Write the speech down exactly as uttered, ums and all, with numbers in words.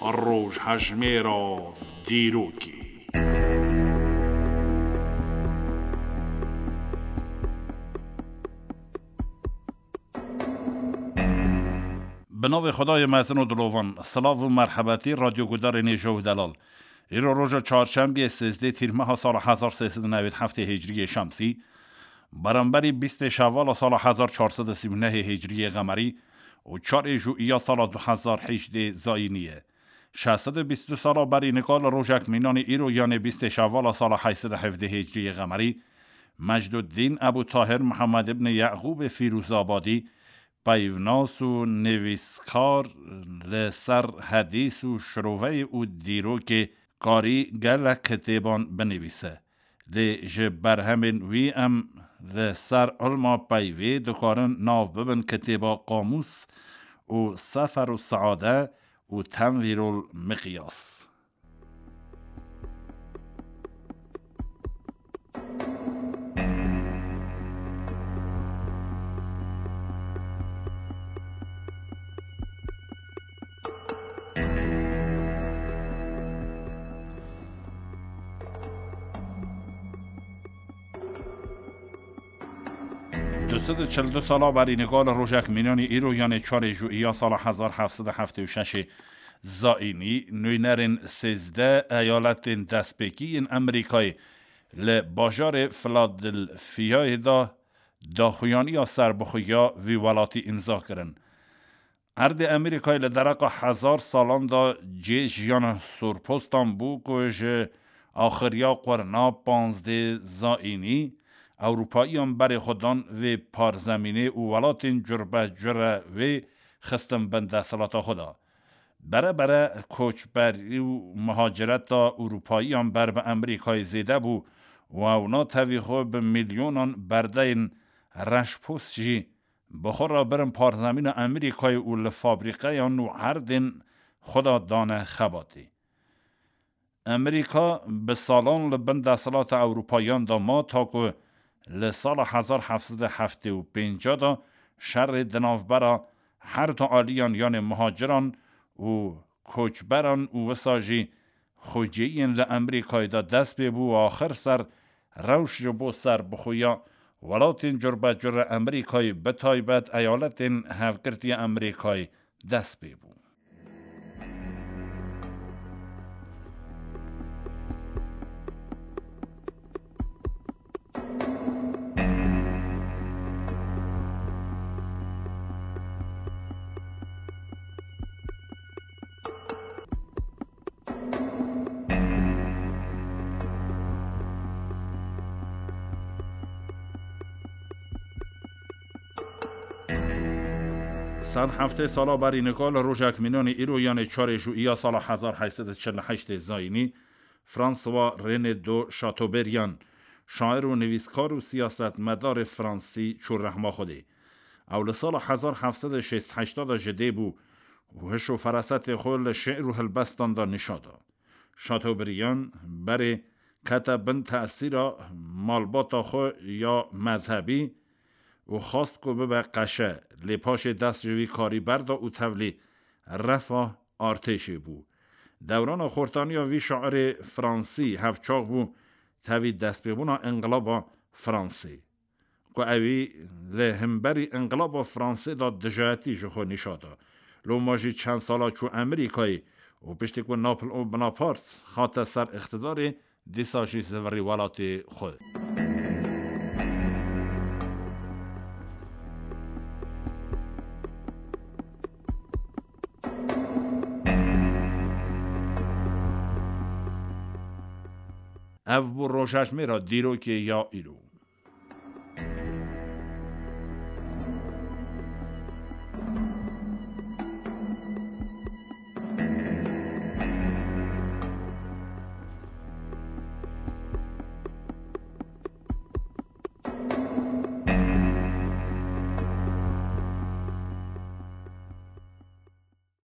Rojhejmêra dîrokê. Bi navê Xwedayê mezin û dilovan, silav û merhebetî radyogudarên hêja û delal. Îro roja çarşembiyê sêzdeh tîrmeha sala hezar sê sed û newêd heftê hicriyê şemsî, beramberî bîstê şevala sala hezar çar sed û sî û nehê hicriyê qemerî û çarê jûiya sala du hezar heştê zayînî ye. Şeş sed û bîst û du sala berî nika li rojek mînanî îro, yanê bîstê şevala sala heyt sed û hevdeh hicriyê qemerî, Mecduddîn Ebû Tahir Mihemed ibn Yeqûbê Fîrûzabadî, peyvnas û nivîskar, li ser hedîs û şiroveyê û dîrokê karî gelek kitêban binivîse. Lê ji berhemên wî em li ser ilma peyvê dikarin nav bibin kitêba Qamûs û Sefer û Seade û Tenvîrul Miqyas. Du sed û çil du sala berî nika li rojek mînanî îro, yanê çarê jûiya sala hezar heft sed û heftê û şeşê zayînî, nûnerên sêzdeh eyaletên destpêkî yên Amerîkayê li bajarê Filadelfiyayê de daxuyaniya serbixweya vî welatî îmza kirin. Erdê Amerîkayê li dereqa hezar salan de cihê jiyana sorpostan bû ku ji axiriya qurna panzdeh zayînî Ewropayiyan berê xwe dan vê parzemînê û welatên curbecure wê xistin bin desthilata xwe de. Bere bere koçberî û muhacireta Ewropayiyan ber bi Amerîkayê zêde bû û ewna tevî xwe bi milyonan berdeyên reşpost jî bi xwe re birin parzemîna Amerîkayê û li fabrîqeyan û erdên xwe de dane xebatê. Amerîka bi salan li bin desthilata Ewropayiyan de ma, ta ku li sala hezar heft sed û heftê û pênc de şerê di navbera her du aliyan, yanê muhaciran û koçberan û wisa jî xwecihiyên li Amerîkayê de dest pê bû û axir ser rewş ji bo serbixweya welatên curbecure Amerîkayê, bi taybet Eyaletên Hevgirtî ya Amerîkayê, dest pê bû. Sed heftê sala berî nika li rojek mînanî îro, yanê çarê jûiya sala hezar heyt sed û çil û heştê zayînî, François René de Chateaubriand, şair û nivîskar û siyasetmedarê fransî çû rehma Xwedê. Ew li sala hezar heft sed û şêst heşt de ji dê bû û hiş û ferasetê xwe li şi'r û helbestan de nîşa da. Chateaubriand berê kete bin tesîra malbata xwe ya mezhebî û xwest ku bibe qeşe, lê paşê dest ji vî karî berda û tevlî refa artêşê bû. Dewrana xortaniya vî şairê fransî hevçax bû tevî destpêbûna înqilaba Fransê, ku ewî li himberî înqilaba Fransê de dijayetî ji xwe nîşa da. Loma jî çend sala çû Amerîkayê û piştî ku Napoleon Bonaparte hate ser îqtidarê, dîsa jî zivirî welatê xwe. Ev bû rojhejmêra dîrokê ya îro.